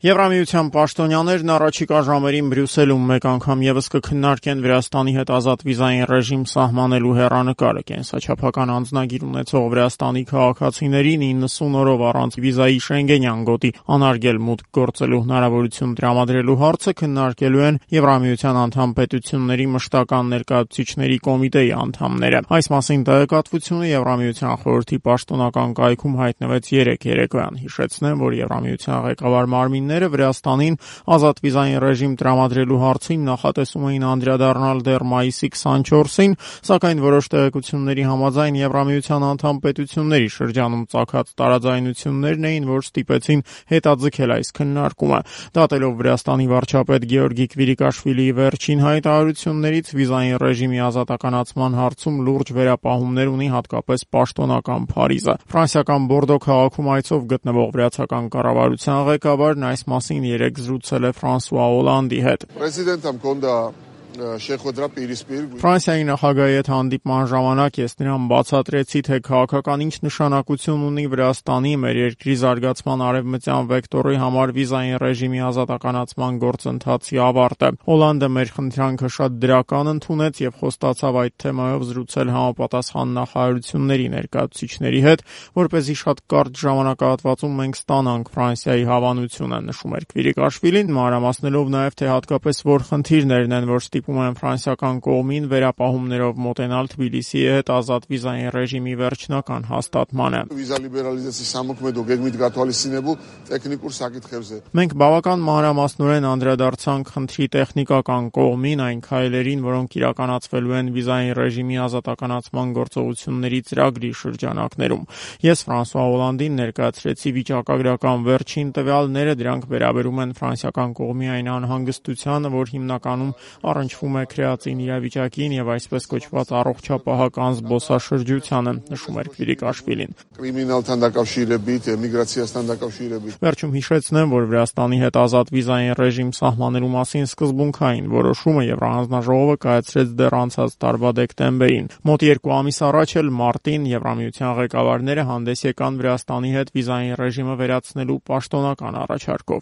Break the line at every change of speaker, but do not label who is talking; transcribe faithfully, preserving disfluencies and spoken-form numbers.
Եվրամիության պաշտոնյաներն առաջիկա ժամերին Բրյուսելում մեկ անգամ ևս կքննարկեն Վրաստանի հետ ազատ վիզային ռեժիմ սահմանելու հեռանկարը։ Կենսաչափական անձնագիր ունեցող Վրաստանի քաղաքացիներին իննսուն օրով առանց վիզայի Շենգենյան գոտի անարգել մուտք գործելու հնարավորություն տրամադրելու հարցը քննարկելու են Եվրամիության անդամ պետությունների մշտական ներկայացուցիչների կոմիտեի անդամները։ Այս մասին տեղեկատվությունը Եվրամիության խորհրդի պաշտոնական կայքում հայտնվեց երեկ երեկոյան։ Հիշեցնեմ, որ Եվրամիության ղեկավար մարմին Վրաստանին ազատ վիզային ռեժիմ տրամադրելու հարցին նախատեսում էին անդրադառնալ դեռ մայիսի քսանչորսին, սակայն որոշ տեղեկությունների համաձայն Եվրամիության անդամ պետությունների շրջանում ծագած տարաձայնություններն էին, որ ստիպեցին հետաձգել այս քննարկումը։ Դատելով Վրաստանի վարչապետ Գեորգի Քվիրիկաշվիլիի վերջին հայտարարություններից, վիզային ռեժիմի ազատականացման հարցում լուրջ վերապահումներ ունի հատկապես պաշտոնական Փարիզը։ Ֆրանսիական Բորդո քաղաքում այցով գտնվող վրացական կառավարության ղեկավարն այս մասին երեկ զրուցել է Ֆրանսուଆ Օլանդի հետ։ Ֆրանսիայի նախագահի հետ հանդիպման ժամանակ ես նրան բացատրեցի, թե քաղաքական ինչ նշանակություն ունի Վրաստանի, մեր երկրի զարգացման արևմտյան վեկտորի համար վիզային ռեժիմի ազատականացման գործընթացի ավարտը։ Օլանդը մեր խնդրանքը շատ դրական ընդունեց եւ խոստացավ այդ թեմայով զրուցել համապատասխան նախարարությունների ներկայացուցիչների հետ, որպեսզի շատ կարճ ժամանակահատվածում մենք ստանանք Ֆրանսիայի հավանությունը, նշում էր Քվիրիկաշվիլին, մանրամասնելով նաեւ, թե հատկապես որ խնդիրներն են, որ ստիպում են ֆրանսիական կողմին վերապահումներով մոտենալ Թբիլիսիի հետ ազատ վիզային ռեժիմի վերջնական հաստատմանը։ Մենք բավական մանրամասնորեն անդրադարձանք խնդրի տեխնիկական կողմին, այն քայլերին, որոնք իրականացվելու են վիզային ռեժիմի ազատականացման գործողությունների ծրագրի շրջանակներում։ Ես Ֆրանսուଆ Օլանդին ներկայացրեցի վիճակագրական վերջին տվյալները, դրանք վերաբերում են ֆրանսիական կողմի այն անհանգստությանը, որ հիմնականում առնչվում է քրեածին իրավիճակին եւ այսպես կոչված առողջապահական զբոսաշրջությանը, նշում էր Քվիրիկաշվիլին։ Վերջում հիշեցնեմ, որ Վրաստանի հետ ազատ վիզային ռեժիմ սահմանելու մասին սկզբունքային որոշումը Եվրահանձնաժողովը կայացրեց դեռ անցած տարվա դեկտեմբերին։ Մոտ երկու ամիս առաջ էլ մարտին Եվրամիության ղեկավարները հանդես եկան Վրաստանի հետ վիզային ռեժիմը վերացնելու պաշտոնական առաջարկով։